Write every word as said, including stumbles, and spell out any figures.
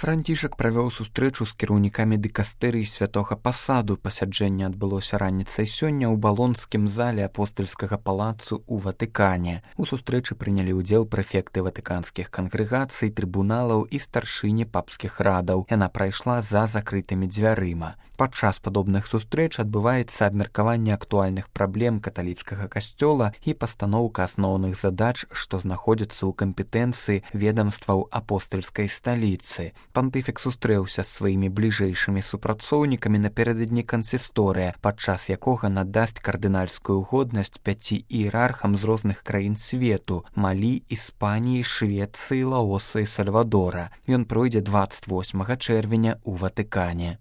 Францішак правёў сустрэчу з кіраўнікамі дыкастэрый святога пасаду. Пасяджэнне адбылося раніцай сёння ў балонскім зале апостальскага палацу ў Ватыкане. У сустрэчы прынялі ўдзел прэфекты ватыканскіх кангрэгацый, трыбуналаў і старшыні папскіх радаў. Яна прайшла за закрытымі дзвярыма. Падчас падобных сустрэч адбываецца абмеркаванне актуальных праблем каталіцкага касцёла і пастаноўка асноўных задач, што знаходзяцца ў кампетэнцыі ведамстваў апостальскай сталіцы. Пантыфік сустрэўся з сваімі бліжэйшымі супрацоўнікамі напярэдадні кансісторыя, падчас якога надасць кардынальскую годнасць пяці іерархам з розных краін свету – Малі, Іспаніі, Швецыі, Лаоса і Сальвадора. Ён пройдзе дваццаць восьмага чэрвеня ў Ватыкане.